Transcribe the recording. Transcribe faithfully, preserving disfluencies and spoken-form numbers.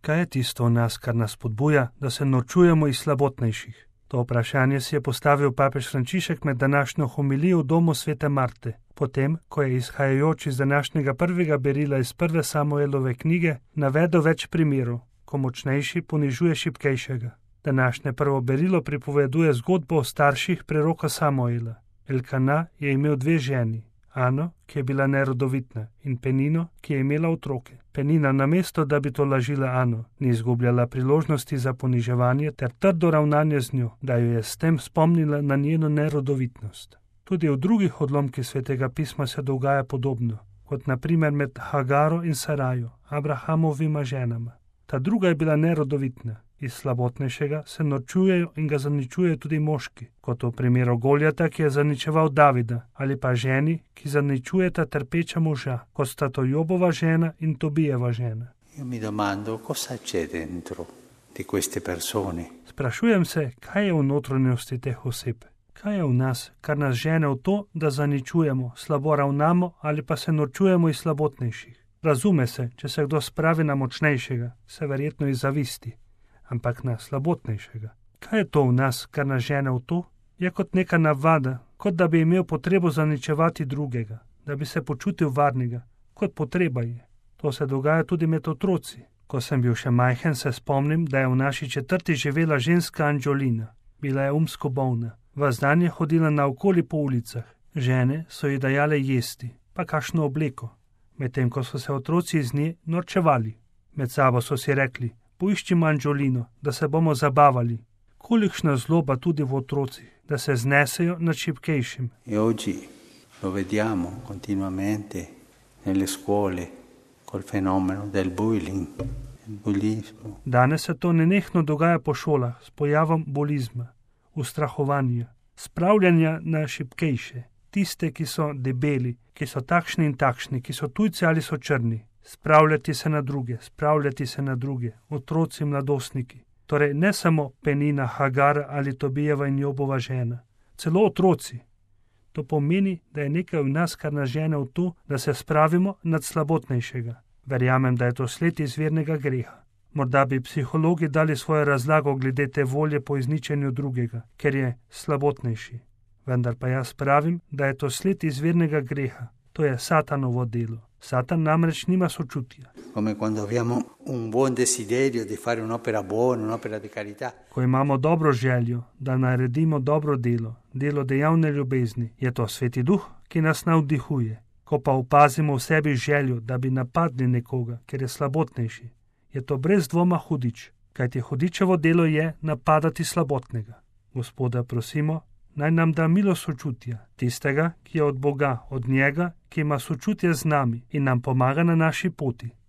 Kaj je tisto v nas, kar nas spodbuja, da se norčujemo iz slabotnejših? To vprašanje si je postavil papež Frančišek med današnjo homilijo v domu svete Marte, potem, ko je izhajajoč iz današnjega prvega berila iz prve Samuelove knjige navedel več primerov, ko močnejši ponižuje šibkejšega. Današnje prvo berilo pripoveduje zgodbo o starših preroka Samuela. Elkana je imel dve ženi, Ano, ki je bila nerodovitna, in Penino, ki je imela otroke. Penina, namesto da bi to lažila Ano, ni izgubljala priložnosti za poniževanje ter trdo ravnanje z njo, da jo je s tem spomnila na njeno nerodovitnost. Tudi v drugih odlomkih svetega pisma se dogaja podobno, kot na primer med Hagaro in Sarajo, Abrahamovima ženama. Ta druga je bila nerodovitna. Iz slabotnejšega se norčujejo in ga zaničujejo tudi moški, kot v primeru Goljata, ki je zaničeval Davida, ali pa ženi, ki zaničujeta trpeča moža, kot sta to Jobova žena in Tobijeva žena. Io mi domando cosa c'è dentro di queste persone. Sprašujem se, kaj je v notranjosti teh oseb. Kaj je v nas, kar nas žene v to, da zaničujemo, slabo ravnamo ali pa se norčujemo iz slabotnejših. Razume se, če se kdo spravi na močnejšega, se verjetno iz zavisti, ampak na slabotnejšega. Kaj je to v nas, kar nas žene v to? Je kot neka navada, kot da bi imel potrebo zaničevati drugega, da bi se počutil varnega, kot potreba je. To se dogaja tudi med otroci. Ko sem bil še majhen, se spomnim, da je v naši četrti živela ženska Anđolina. Bila je umsko bolna. Ves dan je hodila naokoli po ulicah. Žene so ji dajale jesti, pa kakšno obleko, medtem ko so se otroci iz nje norčevali. Med sabo so si rekli: poiščimo Anđolino, da se bomo zabavali. Kolikšna zloba tudi v otrocih, da se znesejo nad šibkejšim. E oggi lo vediamo continuamente nelle scuole col fenomeno del bullying, del bullismo. Danes se to nenehno dogaja po šolah s pojavom bulizma, ustrahovanja, spravljanja na šibkejše, tiste, ki so debeli, ki so takšni in takšni, ki so tujci ali so črni. Spravljati se na druge, spravljati se na druge, otroci, mladostniki. Torej ne samo Penina, Hagar ali Tobijeva in Jobova žena, celo otroci. To pomeni, da je nekaj v nas, kar nas žene v to, da se spravimo nad slabotnejšega. Verjamem, da je to sled izvirnega greha. Morda bi psihologi dali svojo razlago glede te volje po izničenju drugega, ker je slabotnejši. Vendar pa jaz pravim, da je to sled izvirnega greha. To je Satanovo delo. Satan namreč nima sočutja. Come quando abbiamo un buon desiderio di fare un'opera buona, un'opera di carità. Ko imamo dobro željo, da naredimo dobro delo, delo dejavne ljubezni, je to Sveti Duh, ki nas navdihuje. Ko pa opazimo v sebi željo, da bi napadli nekoga, ker je slabotnejši, je to brez dvoma hudič, kajti hudičevo delo je napadati slabotnega. Gospoda prosimo, naj nam da milo sočutja, tistega, ki je od Boga, od njega, ki ima sočutje z nami in nam pomaga na naši poti.